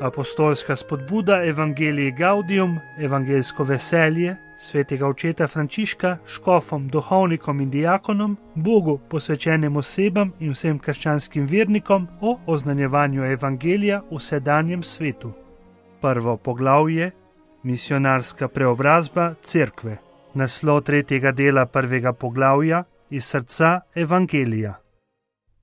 Apostolska spodbuda Evangelii Gaudium, evangelsko veselje, svetega očeta Frančiška, škofom, duhovnikom in dijakonom, Bogu posvečenim osebam in vsem krščanskim vernikom o oznanjevanju evangelija v sedanjem svetu. Prvo poglavje: Misionarska preobrazba cerkve. Naslov tretjega dela prvega poglavja: Iz srca evangelija.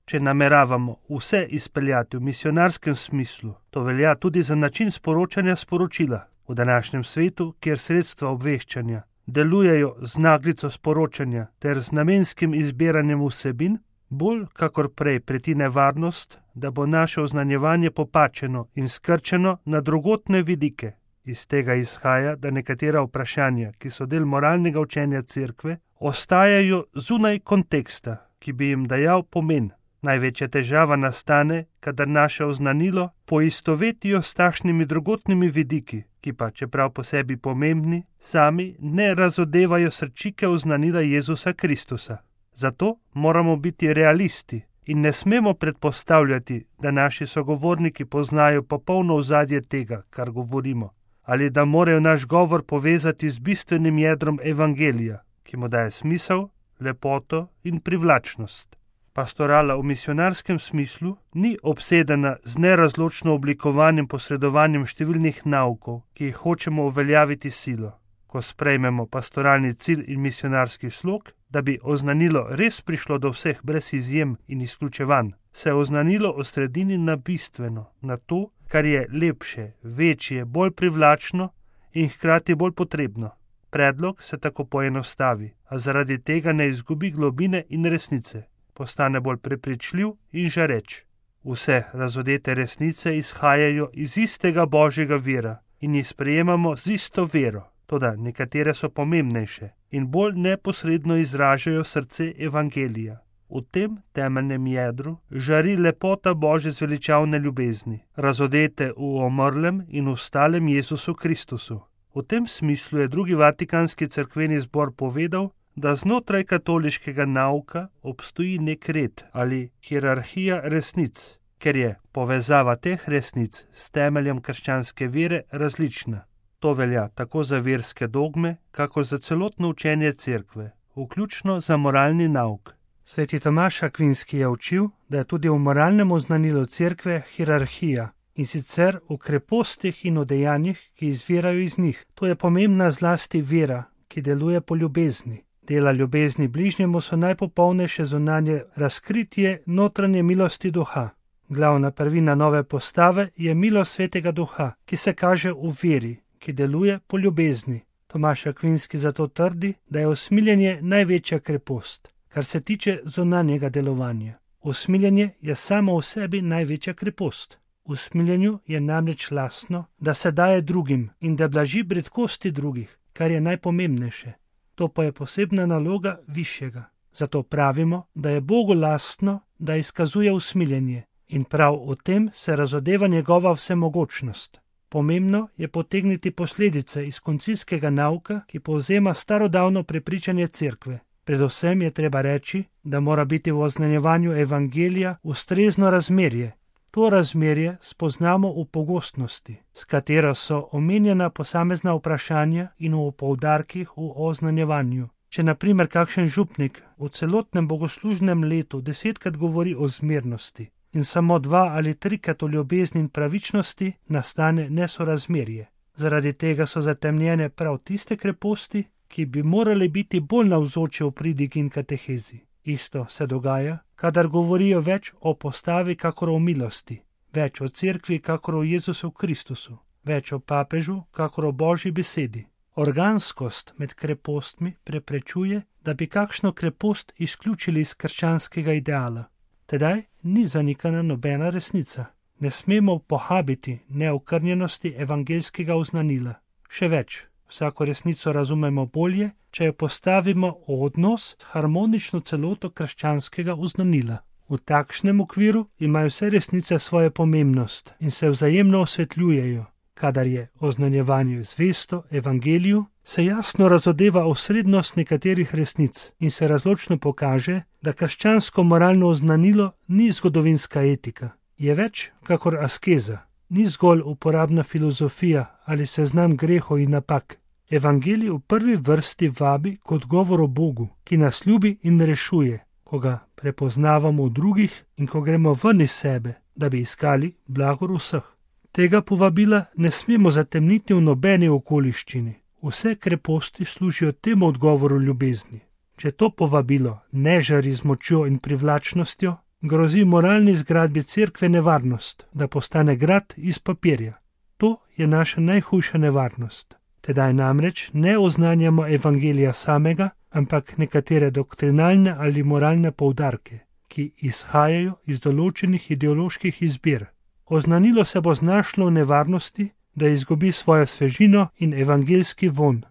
Če nameravamo vse izpeljati v misionarskem smislu, to velja tudi za način sporočanja sporočila. V današnjem svetu, kjer sredstva obveščanja delujejo z naglico sporočanja ter z namenskim izbiranjem vsebin, bolj kakor prej preti nevarnost, da bo naše oznanjevanje popačeno in skrčeno na drugotne vidike. Iz tega izhaja, da nekatera vprašanja, ki so del moralnega učenja cerkve, ostajajo zunaj konteksta, ki bi jim dajal pomen. Največja težava nastane, kadar naše oznanilo poistovetijo s takšnimi drugotnimi vidiki, ki pa, čeprav po sebi pomembni, sami ne razodevajo srčike oznanila Jezusa Kristusa. Zato moramo biti realisti in ne smemo predpostavljati, da naši sogovorniki poznajo popolno ozadje tega, kar govorimo, ali da morajo naš govor povezati z bistvenim jedrom evangelija, ki mu daje smisel, lepoto in privlačnost. Pastorala v misionarskem smislu ni obsedena z nerazločno oblikovanjem posredovanjem številnih naukov, ki jih hočemo uveljaviti silo. Ko sprejmemo pastoralni cilj in misionarski slog, da bi oznanilo res prišlo do vseh brez izjem in izključevanj, se oznanilo osredini na bistveno, na to, kar je lepše, večje, bolj privlačno in hkrati bolj potrebno. Predlog se tako poenostavi, a zaradi tega ne izgubi globine in resnice. Postane bolj prepričljiv in žareč. Vse razodete resnice izhajajo iz istega Božjega vira in jih sprejemamo z isto vero, toda nekatere so pomembnejše in bolj neposredno izražajo srce evangelija. V tem temeljnem jedru žari lepota Božje zveličavne ljubezni, razodete v omrlem in ustalem Jezusu Kristusu. V tem smislu je drugi Vatikanski cerkveni zbor povedal, da znotraj katoliškega nauka obstoji nek red ali hierarhija resnic, ker je povezava teh resnic s temeljem krščanske vere različna. To velja tako za verske dogme, kakor za celotno učenje cerkve, vključno za moralni nauk. Sveti Tomaž Akvinski je učil, da je tudi v moralnem oznanilu cerkve hierarhija, in sicer v krepostih in v dejanjih, ki izvirajo iz njih. To je pomembna zlasti vera, ki deluje po ljubezni. Dela ljubezni bližnjemu so najpopolnejše zunanje razkritje notranje milosti duha. Glavna prvina nove postave je milost Svetega Duha, ki se kaže v veri, ki deluje po ljubezni. Tomaž Akvinski zato trdi, da je usmiljenje največja krepost, kar se tiče zunanjega delovanja. Usmiljenje je samo v sebi največja krepost. V usmiljenju je namreč lastno, da se daje drugim in da blaži bridkosti drugih, kar je najpomembnejše. To pa je posebna naloga višjega. Zato pravimo, da je Bogu lastno, da izkazuje usmiljenje in prav v tem se razodeva njegova vsemogočnost. Pomembno je potegniti posledice iz koncilskega nauka, ki povzema starodavno prepričanje cerkve. Predvsem je treba reči, da mora biti v oznanjevanju evangelija ustrezno razmerje. To razmerje spoznamo v pogostnosti, s katero so omenjena posamezna vprašanja in v poudarkih v oznanjevanju. Če na primer kakšen župnik v celotnem bogoslužnem letu 10krat govori o zmernosti in samo 2 ali 3krat o ljubezni in pravičnosti, nastane nesorazmerje. Zaradi tega so zatemnjene prav tiste kreposti, ki bi morali biti bolj navzoče v pridigi in katehezi. Isto se dogaja, kadar govorijo več o postavi kakor o milosti, več o cerkvi kakor o Jezusu Kristusu, več o papežu kakor o Božji besedi. Organskost med krepostmi preprečuje, da bi kakšno krepost izključili iz krščanskega ideala. Tedaj ni zanikana nobena resnica. Ne smemo pohabiti neokrnjenosti evangeljskega oznanila. Še več, vsako resnico razumemo bolje, če jo postavimo v odnos s harmonično celoto krščanskega oznanila. V takšnem okviru imajo vse resnice svojo pomembnost in se vzajemno osvetljujejo. Kadar je oznanjevanje zvesto evangeliju, se jasno razodeva osrednost nekaterih resnic in se razločno pokaže, da krščansko moralno oznanilo ni zgodovinska etika, je več kakor askeza. ni zgolj uporabna filozofija ali seznam grehov in napak. Evangelij v prvi vrsti vabi k odgovoru Bogu, ki nas ljubi in rešuje, ko ga prepoznavamo v drugih in ko gremo ven iz sebe, da bi iskali blagor vseh. Tega povabila ne smemo zatemniti v nobeni okoliščini. Vse kreposti služijo temu odgovoru ljubezni. Če to povabilo ne žari z močjo in privlačnostjo, grozi moralni zgradbi cerkve nevarnost, da postane grad iz papirja. To je naša najhujša nevarnost. Tedaj namreč ne oznanjamo evangelija samega, ampak nekatere doktrinalne ali moralne poudarke, ki izhajajo iz določenih ideoloških izbir. Oznanilo se bo znašlo v nevarnosti, da izgubi svojo svežino in evangeljski vonj.